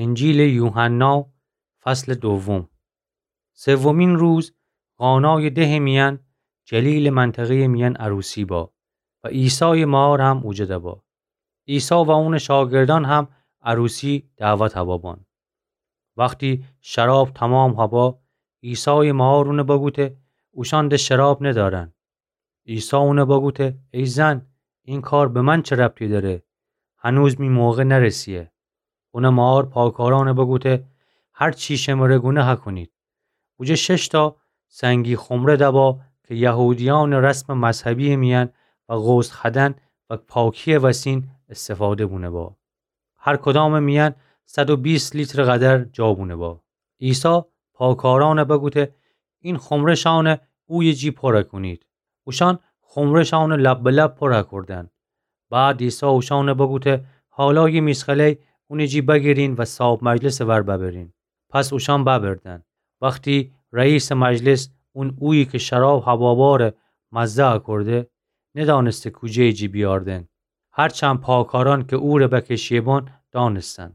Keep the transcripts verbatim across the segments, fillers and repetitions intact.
انجیلٚ یوحنا، فصلٚ دوم. سومین روز، قانایٚ دهٚ میأن، جلیلٚ منطقه‌یٚ میأن عروسی با و عیسایٚ مار هم اوجده با. عیسی و اونٚ شاگردأن هم عروسی دعوت هبابان. وختی شراب تومام هبا، عیسایٚ مار اونَ بگوته: اوشأن ده شراب ندأرن. عیسی اونَ بگوته: ای زن، این کار به من چه ربطی دأره؟ هنوز می موقع نرسیه. اونٚ مار پاکارأنَ بگوته: هر چی شمره گونه هکونید. اوجه شش‌تا سنگی خمره دبا که یهودیأنٚ رسمٚ مذهبی‌یٚ میأن و غسل خودن و پاکی‌یٚ وسین استفاده بونه با. هر کدامٚ میأن صد و بیست لیترٚ قدر جا بونه با. عیسی پاکارأنَ بگوته: این خمره‌شأنَ اویه جی پر کونید. اوشأن خمره‌شأنَ لب به لب پر کوردن. بعد عیسی اوشأنَ بگوته: حالا یه میسخله‌ی اونٚ جی بگیرین و صاب مجلسٚ ور ببرین. پس اوشأن ببردن. وختی رئیسٚ مجلس اون اویی که شراب هباباره مزه کورده، ندأنسته کوجه‌یٚ جی بیاردن، هرچند پاکارأن که اوره بکشیه‌بان دأنستن.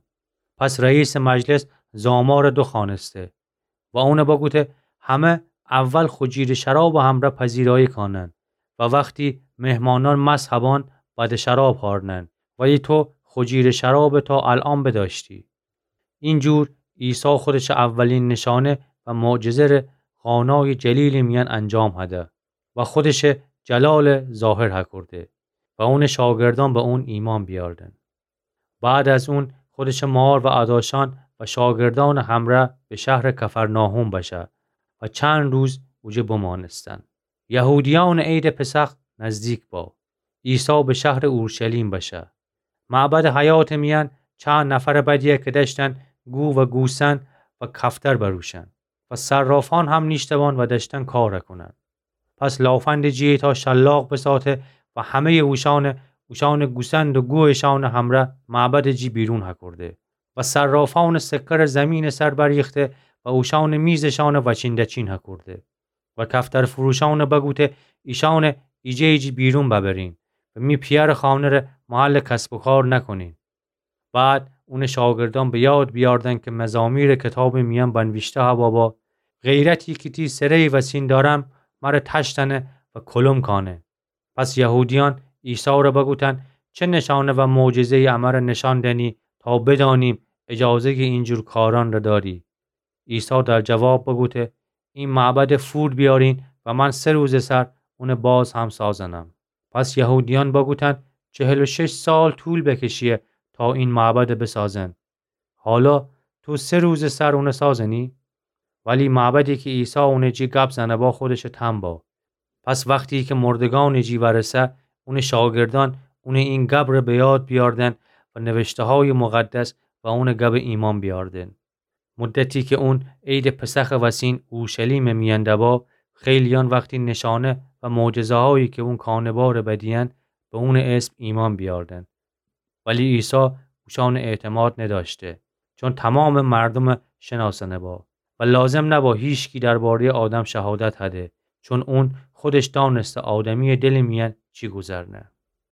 پس رئیسٚ مجلس زامارَ دوخوأنسته و اونَ بگوته: همه اول خو جیرٚ شرابٚ همرأ پذیرایی کانن و وختی مهمانأن مست هبان، بعد شراب هارنن، ولی تو خو جیرٚ شرابَ تا الأن بدأشتی. اینجور عیسی خودشٚ اولین نشانه و معجزه ره قانایٚ جلیلٚ میأن انجام هده و خودشٚ جلالَ ظاهر هکورده و اونٚ شاگردأن به اون ایمأن بیاردن. بعد از اون خودشٚ مار و اداشأن و شاگردأنٚ همرأ به شهرٚ کفرناحوم بشه و چند روز اوجه بمأنستن. یهودیأنٚ عیدٚ پسخ نزدیک با. عیسی به شهرٚ اورشلیم بشه. معبدٚ حیاتٚ میأن چند نفرٚ بدیه که دأشتن گو و گوسن و کفتر بروشن و صرافأن هم نیشته‌بان و دأشتن کار کونن. پس لافندٚ جی ایتأ شلاق بساته و همه‌یٚ اوشأنَ، اوشأنٚ گوسند و گویشأنٚ همرأ معبدٚ جی بیرون هکورده و صرافأنٚ سکه‌ره زیمینٚ سر بریخته و اوشأنٚ میزشأنَ وچین دچین هکورده و کفترفروشأنَ بگوته: ایشأنَ ایجه‌یٚ جی بیرون ببرین و می پیأرٚ خانه ره محلٚ کسب و کار نکونین. بعد اونٚ شاگردأن به یاد بیاردن که مزامیرٚ کتابٚ میأن بنویشته هبابا: غیرتی که تی سره‌یٚ وسین دأرم، مره تشتأنه و کلم کأنه. پس یهودیأن عیسی ره بگوتن: چه نشانه و معجزه‌یی امره نشان دنی تا بدأنیم اجازه‌یٚ اینجور کارأن ره دأری؟ عیسی در جواب بگوته: این معبدَ فور بیأرین و من سه روزٚ سر اونَ باز هم سازنم. پس یهودیأن بگوتن: چهل و شش سال طول بکشیه تا این معبدَ بسازن. حالا تو سه روزٚ سر اونَ سازنی؟ ولی معبدی که عیسی اونٚ جی گب زنه با خودشٚ تم با. پس وختی که مردگانٚ جی ورسه، اونٚ شاگردأن اونٚ این گب ره به یاد بیاردن و نوشته‌هایٚ مقدس و اونٚ گب ایمأن بیاردن. مدتی که اون عیدٚ پسخٚ وسین اورشلیمٚ میأن دبا، خیلیأن وختی نشانه و معجزه‌هایی که اون کانه باره بدیأن، به اونٚ اسم ایمأن بیاردن. ولی عیسی اوشأنٚ اعتماد ندأشته، چون تومامٚ مردومَ شنأسأنه با و لازم نبا هیچکی درباره‌یٚ آدم شهادت هده، چون اون خودش دأنسته آدمی‌یٚ دلٚ میأن چی گوذرنه.